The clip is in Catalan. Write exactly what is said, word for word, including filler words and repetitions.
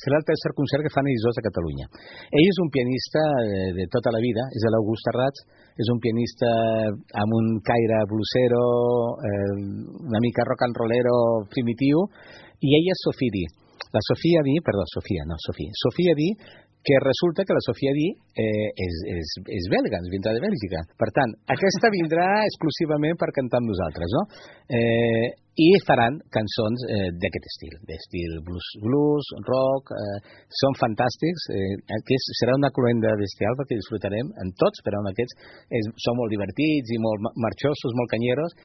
serà el tercer concert que fan ells dos a Catalunya. Ell és un pianista de tota la vida, és l'August Terrats, és un pianista amb un caire blusero, eh, una mica rock and rollero primitiu, i ella és Sophie Di. La Sofia Di, perdó, Sofia, no, Sofia. Sofia Di, que resulta que la Sofia Di eh, és, és, és belga, ens vindrà de Bèlgica. Per tant, aquesta vindrà exclusivament per cantar amb nosaltres, no? Eh, I faran cançons eh, d'aquest estil, d'estil blues, blues, rock, eh, són fantàstics, eh, aquest serà una cloenda bestial perquè disfrutarem en tots, però en aquests és, són molt divertits i molt marxosos, molt canyeros.